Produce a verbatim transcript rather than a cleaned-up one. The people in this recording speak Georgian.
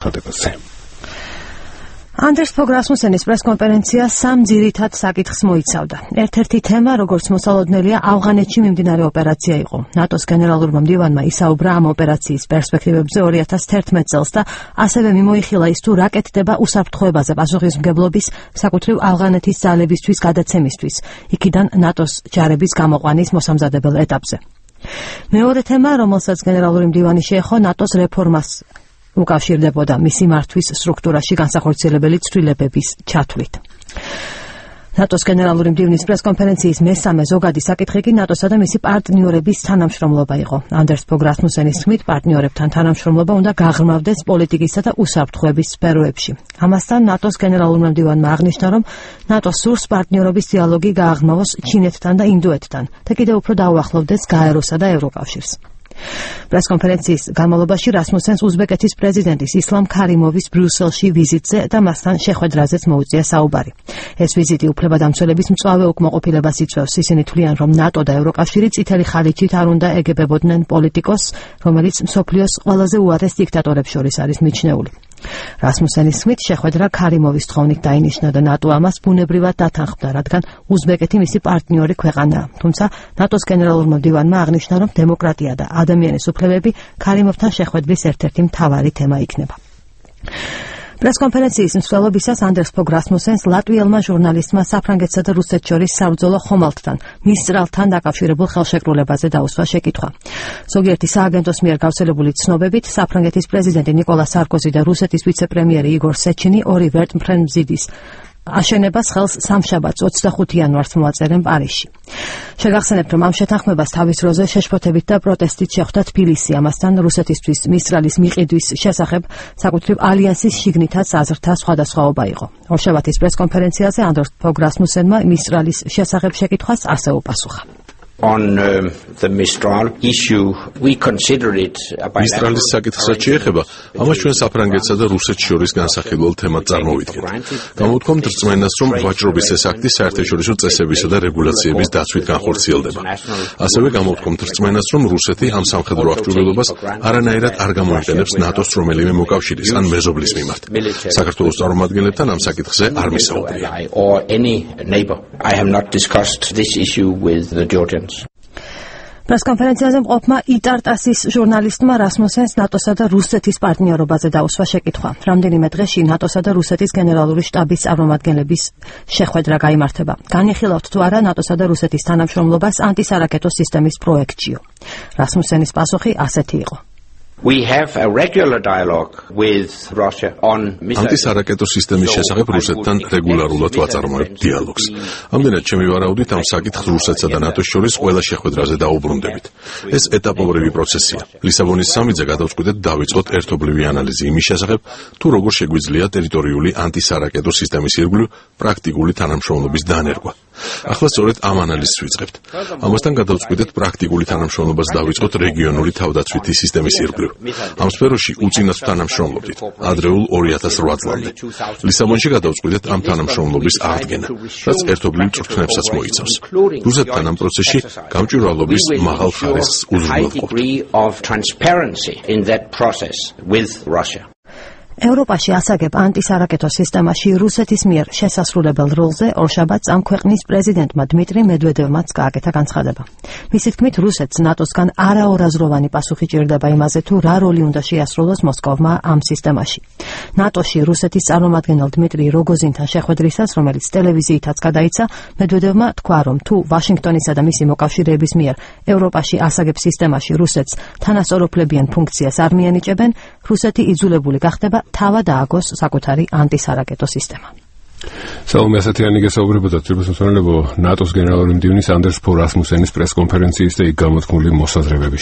ხდებაზე. Anders Fogh Rasmussenis პრესკონფერენცია სამ ძირითად საკითხს მოიცავდა. ერთ-ერთი თემა, როგორც მოსალოდნელია, ავღანეთში მიმდინარე ოპერაცია იყო. ნატოს გენერალურმა მდივანმა ისაუბრა ამ ოპერაციის პერსპექტივებზე ორი ათას თერთმეტ წელს და ასევე მიმოიხილა ის თუ რა კეთდება უსაფრთხოებაზე პასუხისმგებლობის, საკუთრივ ავღანეთის ძალებისთვის გადაცემისთვის, იქიდან ნატოს ჯარების გამოყვანის მოსამზადებელ ეტაპზე. მეორე თემა, რომელსაც გენერალური მდივანი შეეხო, ნატოს რეფორმას უკავშირდებოდა მისი მართვის სტრუქტურაში განსახორციელებელი ცვლილებების ჩათვლით. ნატოს გენერალური მდივნის პრესკონფერენციის მესამე ზოგადი საკითხი კი ნატოსა და მისი პარტნიორების თანამშრომლობა იყო. Anders Fogh Rasmussenis თქმით, პარტნიორებთან თანამშრომლობა უნდა გაღრმავდეს პოლიტიკისა და უსაფრთხოების სფეროებში. ამასთან ნატოს გენერალურმა მდივანმა აღნიშნა, რომ ნატო სურს პარტნიორობის დიალოგი გააღრმავოს ჩინეთთან და ინდოეთთან და კიდევ უფრო დაუახლოვდეს გაეროსა და ევროკავშირს. პრესკონფერენციის განმავლობაში რასმუსენს უზბეკეთის პრეზიდენტის ისლამ ქარიმოვის ბრიუსელში ვიზიტზე და მასთან შეხვედრაზეც მოუწია საუბარი. ეს ვიზიტი უფლებადამცველების მწვავე უკმაყოფილებას იწვევს. ისინი თვლიან, რომ ნატო და ევროკავშირი წითელი ხალიჩით არ უნდა ეგებებოდნენ პოლიტიკოს, რომელიც მსოფლიოს ყველაზე უარეს დიქტატორებს შორის არის მიჩნეული. რასმუსენის თქმით, შეხვედრა ქარიმოვის თხოვნით დაინიშნა და ნატო ამას ბუნებრივად დათანხმდა, რადგან უზბეკეთი მისი პარტნიორი ქვეყანაა. თუმცა ნატოს გენერალურმა მდივანმა აღნიშნა, რომ დემოკრატია და ადამიანის უფლებები ქარიმოვთან შეხვედრის ერთ-ერთი მთავარი თემა იქნება. პრესკონფერენციის მსვლელობისას Anders Fogh Rasmussens ლატვიელმა ჟურნალისტმა საფრანგეთსა და რუსეთს შორის საბრძოლო ხომალდთან, მისწრალთან დაკავშირებულ ხელშეკრულებაზე დაუსვა შეკითხვა. ზოგიერთი სააგენტოს მიერ გავრცელებული ცნობებით, საფრანგეთის პრეზიდენტი ნიკოლა სარკოზი და რუსეთის ვიცე-პრემიერი იგორ სეჩინი ორი ვერტმფრენბზიდის აშენებას ხელს სამშაბათს ოცდახუთი იანვარს მოაწერენ პარიზში. შეგახსენებთ, რომ ამ შეთანხმებას თავის დროზე შეშფოთებით და პროტესტით შეხვდა თბილისი. ამასთან რუსეთისთვის მისწრალის მიყიდვის შესახებ საკუთრივ ალიანსის შიგნითაც აზრთა სხვადასხვაობა იყო. ორშაბათის პრესკონფერენციაზე Anders Fogh Rasmussenმა მისწრალის შესახებ შეკითხვას ასე უპასუხა. On uh, the Mistral issue, we consider it a Mistralis საკითხსაც შეეხება, ამას ჩვენ საფრანგეთსა და რუსეთს შორის განსახილველ თემად წარმოვიდგენთ. Გამოვთქვამთ რწმენას, რომ ვაჭრობის ეს აქტი საერთაშორისო წესებისა და რეგულაციების დაცვით განხორციელდება. ასევე გამოვთქვამთ რწმენას, რომ რუსეთი ამ სამხედრო აღჭურვილობას არანაირად არ გამოიყენებს ნატოს რომელიმე მოკავშირის ან მეზობლის მიმართ. საქართველოს წარმომადგენლებთან ამ საკითხზე არ მისაუბრია. I have not discussed this issue with the Georgians. პრესკონფერენციაზე მყოფმა იტარტასის ჟურნალისტმა რასმუსენს ნატოსა და რუსეთის პარტნიორობაზე დაუსვა შეკითხვა. რამდენიმე დღეში ნატოსა და რუსეთის გენერალური შტაბის წარმომადგენლების შეხვედრა გაიმართება. განიხილავთ თუ არა ნატოსა და რუსეთის თანამშრომლობას ანტისარაკეტო სისტემის პროექტშიო. რასმუსენის პასუხი ასეთი იყო. We have a regular dialogue with Russia on ანტისარაკეტო სისტემის შესახებ რუსეთთან რეგულარულად ვაწარმოებთ დიალოგს. ამდენად ჩემი ვარაუდით ამ საკითხს რუსეთსა და ნატოს შორის ყველა შეხვედრაზე დაუბრუნდებით. ეს ეტაპობრივი პროცესია. ლისაბონის სამიძე გადავწყვიტეთ დავიწყოთ ერთობლივი ანალიზი იმის შესახებ, თუ როგორ შეგვიძლია ტერიტორიული ანტისარაკეტო სისტემის ირგვლივ პრაქტიკული თანამშრომლობის დანერგვა. ახლა სწორედ ამ ანალიზს ვიწყებთ. ამასთან გადავწყვიტეთ პრაქტიკული თანამშრომლობას დავიწყოთ რეგიონული თავდაცვითი სისტემის ირგვლივ. ამ სფეროში უწინათ თანამშრომლობდით ადრეულ ორი ათას ორი წლამდე. ლისაბონში გადავწყვიტეთ ამ თანამშრომლობის აღდგენა, რაც ერთობლივ წვრთნებსაც მოიცავს. რუსეთთან ამ პროცესში გამჭვირვალობის მაღალ ხარისხს უზრუნველყოფთ. ევროპაში ასაგებ ანტისარაკეტო სისტემაში რუსეთის მიერ შესასრულებელ როლზე ორშაბათს ამ ქვეყნის პრეზიდენტმა დმიტრი მედვედევმაც გააკეთა განცხადება. მისი თქმით, რუსეთს ნატოსგან არაორაზროვანი პასუხი ჭირდება იმაზე, თუ რა როლი უნდა შეასრულოს მოსკოვმა ამ სისტემაში. ნატოში რუსეთის წარმომადგენელ დმიტრი როგოზინთან შეხვედრისას, რომელიც ტელევიზიითაც გადაიცა, მედვედევმა თქვა, რომ თუ ვაშინგტონისა და მისი მოკავშირეების მიერ ევროპაში ასაგებ სისტემაში რუსეთს თანასწორუფლებიან ფუნქციას არ მიანიჭებენ, რუსეთი იძულებული გახდება თავად ააგოს საკუთარი ანტისარაკეტო სისტემა. Salome ასეთიანი გესაუბრებოდა თბილისის ნატოს გენერალური მდივნის Anders Fogh Rasmussenis პრესკონფერენციის და იქ გამოთქმული მოსაზრებების